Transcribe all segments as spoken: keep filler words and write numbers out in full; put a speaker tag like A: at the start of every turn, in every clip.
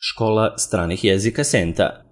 A: Škola stranih jezika Senta.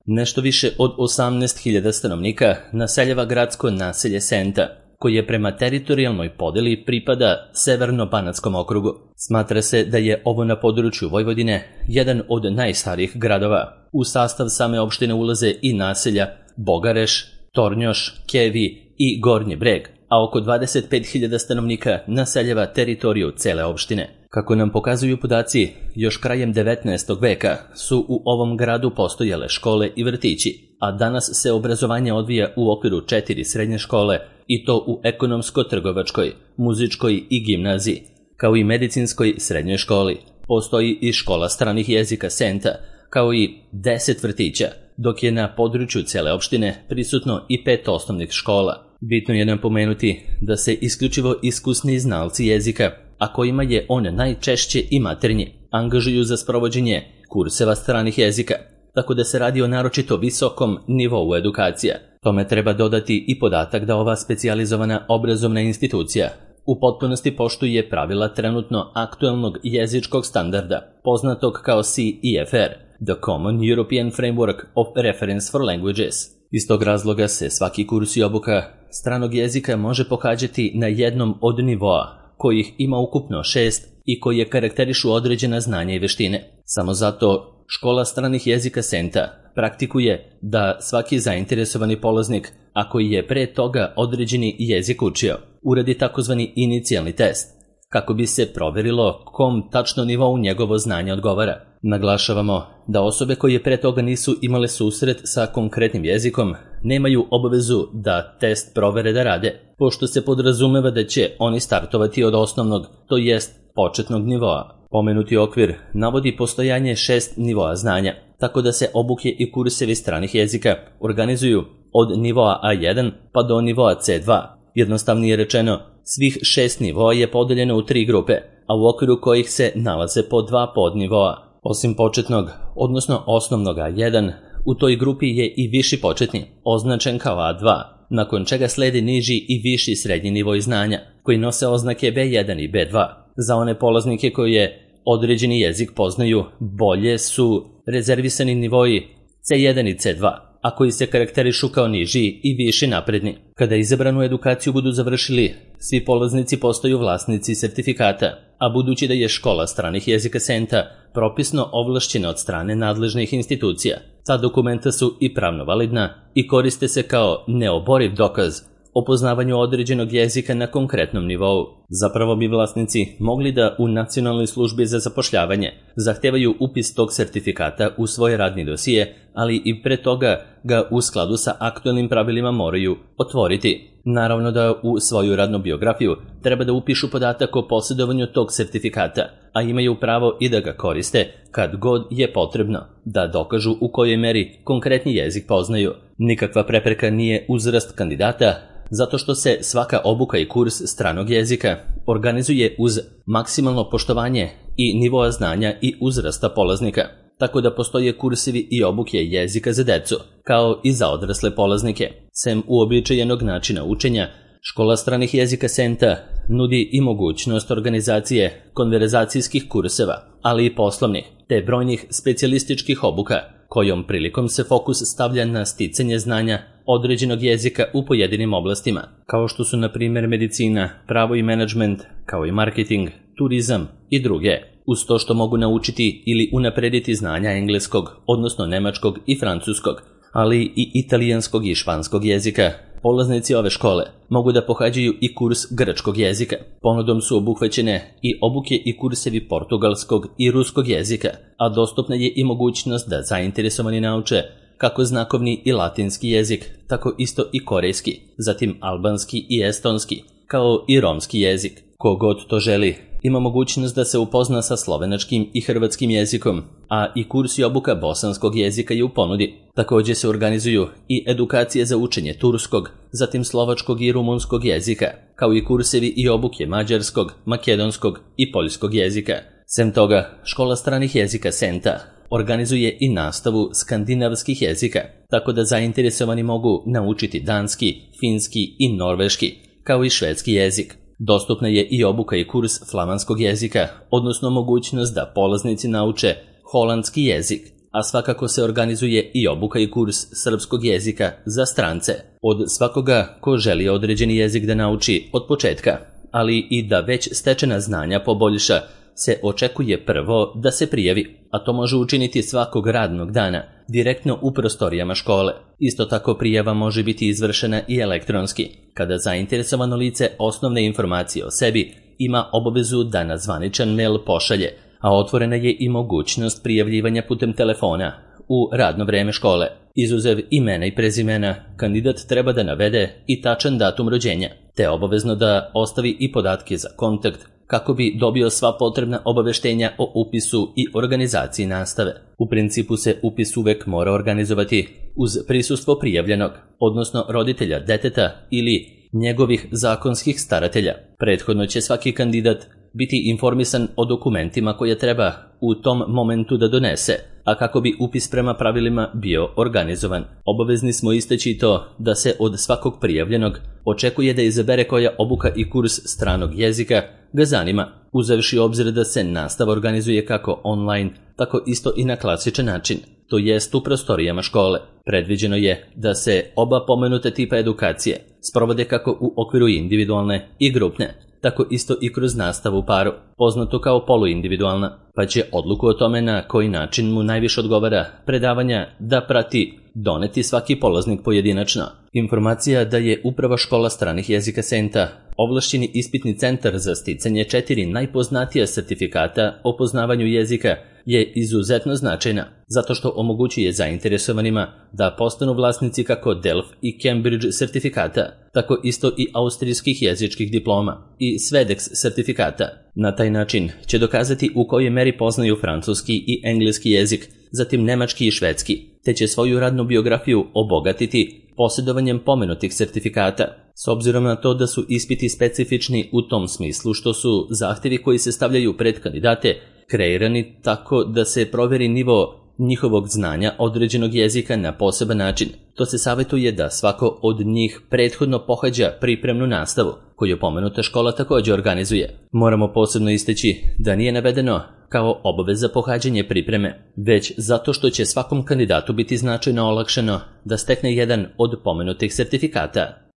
A: Nešto više od osamnaest hiljada stanovnika naseljava gradsko naselje Senta, koji je prema teritorijalnoj podeli pripada Severno-Banatskom okrugu. Smatra se da je ovo na području Vojvodine jedan od najstarijih gradova. U sastav same opštine ulaze i naselja Bogareš, Tornjoš, Kevi i Gornji Breg, a oko dvadeset pet hiljada stanovnika naseljava teritoriju cele opštine. Kako nam pokazuju podaci, još krajem devetnaestog veka su u ovom gradu postojale škole i vrtići, a danas se obrazovanje odvija u okviru četiri srednje škole i to u ekonomsko-trgovačkoj, muzičkoj i gimnaziji, kao i medicinskoj srednjoj školi. Postoji i škola stranih jezika Senta, kao i deset vrtića, dok je na području cele opštine prisutno i pet osnovnih škola. Bitno je napomenuti da se isključivo iskusni znalci jezika, a kojima je on najčešće i maternji, angažuju za sprovođenje kurseva stranih jezika, tako da se radi o naročito visokom nivou edukacija. Tome treba dodati i podatak da ova specijalizovana obrazovna institucija u potpunosti poštuje pravila trenutno aktuelnog jezičkog standarda, poznatog kao C E F R, The Common European Framework of Reference for Languages. Iz tog razloga se svaki kurs i obuka stranog jezika može pohađati na jednom od nivoa, kojih ima ukupno šest i koje karakterišu određena znanja i veštine. Samo zato škola stranih jezika Senta praktikuje da svaki zainteresovani polaznik, a koji je pre toga određeni jezik učio, uradi takozvani inicijalni test, kako bi se proverilo kom tačno nivou njegovo znanje odgovara. Naglašavamo da osobe koje pre toga nisu imale susret sa konkretnim jezikom nemaju obavezu da test provere da rade, pošto se podrazumeva da će oni startovati od osnovnog, to jest početnog nivoa. Pomenuti okvir navodi postojanje šest nivoa znanja, tako da se obuke i kursevi stranih jezika organizuju od nivoa A jedan pa do nivoa C dva. Jednostavnije rečeno, svih šest nivoa je podeljeno u tri grupe, a u okviru kojih se nalaze po dva podnivoa. Osim početnog, odnosno osnovnog A jedan, u toj grupi je i viši početni, označen kao A dva, nakon čega sledi niži i viši srednji nivoj znanja, koji nose oznake B jedan i B dva. Za one polaznike koje određeni jezik poznaju, bolje su rezervisani nivoji C jedan i C dva, a koji se karakterišu kao niži i viši napredni. Kada izabranu edukaciju budu završili, svi polaznici postaju vlasnici sertifikata, a budući da je škola stranih jezika Senta propisno ovlašćena od strane nadležnih institucija, ta dokumenta su i pravno validna i koriste se kao neoboriv dokaz o poznavanju određenog jezika na konkretnom nivou. Zapravo bi vlasnici mogli da u Nacionalnoj službi za zapošljavanje zahtevaju upis tog sertifikata u svoj radni dosije, ali i pre toga ga u skladu sa aktuelnim pravilima moraju otvoriti. Naravno da u svoju radnu biografiju treba da upišu podatak o posjedovanju tog sertifikata, a imaju pravo i da ga koriste kad god je potrebno, da dokažu u kojoj meri konkretni jezik poznaju. Nikakva prepreka nije uzrast kandidata, zato što se svaka obuka i kurs stranog jezika organizuje uz maksimalno poštovanje i nivoa znanja i uzrasta polaznika, tako da postoje kursevi i obuke jezika za decu, kao i za odrasle polaznike. Sem uobičajenog načina učenja, škola stranih jezika Senta nudi i mogućnost organizacije konverzacijskih kurseva, ali i poslovnih, te brojnih specijalističkih obuka, kojom prilikom se fokus stavlja na sticanje znanja određenog jezika u pojedinim oblastima, kao što su na primjer medicina, pravo i menadžment, kao i marketing, turizam i druge, uz to što mogu naučiti ili unaprediti znanja engleskog, odnosno nemačkog i francuskog, ali i italijanskog i španskog jezika. Polaznici ove škole mogu da pohađaju i kurs grčkog jezika. Ponudom su obuhvaćene i obuke i kursevi portugalskog i ruskog jezika, a dostupna je i mogućnost da zainteresovani nauče kako znakovni i latinski jezik, tako isto i korejski, zatim albanski i estonski, kao i romski jezik. Kogod to želi, ima mogućnost da se upozna sa slovenačkim i hrvatskim jezikom, a i kurs i obuka bosanskog jezika je u ponudi. Također se organizuju i edukacije za učenje turskog, zatim slovačkog i rumunskog jezika, kao i kursevi i obuke mađarskog, makedonskog i poljskog jezika. Sem toga, škola stranih jezika Senta organizuje i nastavu skandinavskih jezika, tako da zainteresovani mogu naučiti danski, finski i norveški, kao i švedski jezik. Dostupna je i obuka i kurs flamanskog jezika, odnosno mogućnost da polaznici nauče holandski jezik, a svakako se organizuje i obuka i kurs srpskog jezika za strance od svakoga ko želi određeni jezik da nauči od početka, ali i da već stečena znanja poboljša, se očekuje prvo da se prijavi, a to može učiniti svakog radnog dana, direktno u prostorijama škole. Isto tako prijava može biti izvršena i elektronski, kada zainteresovano lice osnovne informacije o sebi ima obavezu da na zvaničan mail pošalje, a otvorena je i mogućnost prijavljivanja putem telefona u radno vreme škole. Izuzev imena i prezimena, kandidat treba da navede i tačan datum rođenja, te obavezno da ostavi i podatke za kontakt kako bi dobio sva potrebna obaveštenja o upisu i organizaciji nastave. U principu se upis uvek mora organizovati uz prisustvo prijavljenog, odnosno roditelja deteta ili njegovih zakonskih staratelja. Prethodno će svaki kandidat biti informisan o dokumentima koje treba u tom momentu da donese, a kako bi upis prema pravilima bio organizovan. Obavezni smo istaći to da se od svakog prijavljenog očekuje da izabere koja obuka i kurs stranog jezika ga zanima, uzevši obzir da se nastava organizuje kako online, tako isto i na klasičan način, to jest u prostorijama škole. Predviđeno je da se oba pomenute tipa edukacije sprovode kako u okviru individualne i grupne, tako isto i kroz nastavu u paru, poznato kao poluindividualna, pa će odluku o tome na koji način mu najviše odgovara predavanja da prati doneti svaki polaznik pojedinačno. Informacija da je Uprava škola stranih jezika Senta ovlašćeni ispitni centar za sticanje četiri najpoznatija sertifikata o poznavanju jezika je izuzetno značajna, zato što omogućuje zainteresovanima da postanu vlasnici kako Delft i Cambridge sertifikata, tako isto i austrijskih jezičkih diploma i Svedex sertifikata. Na taj način će dokazati u kojoj meri poznaju francuski i engleski jezik, zatim nemački i švedski, te će svoju radnu biografiju obogatiti posjedovanjem pomenutih sertifikata, s obzirom na to da su ispiti specifični u tom smislu što su zahtevi koji se stavljaju pred kandidate kreirani tako da se proveri nivo njihovog znanja određenog jezika na poseban način. To se savjetuje da svako od njih prethodno pohađa pripremnu nastavu, koju pomenuta škola također organizuje. Moramo posebno istaći da nije navedeno kao obaveza pohađanje pripreme, već zato što će svakom kandidatu biti značajno olakšano da stekne jedan od pomenutih sertifikata.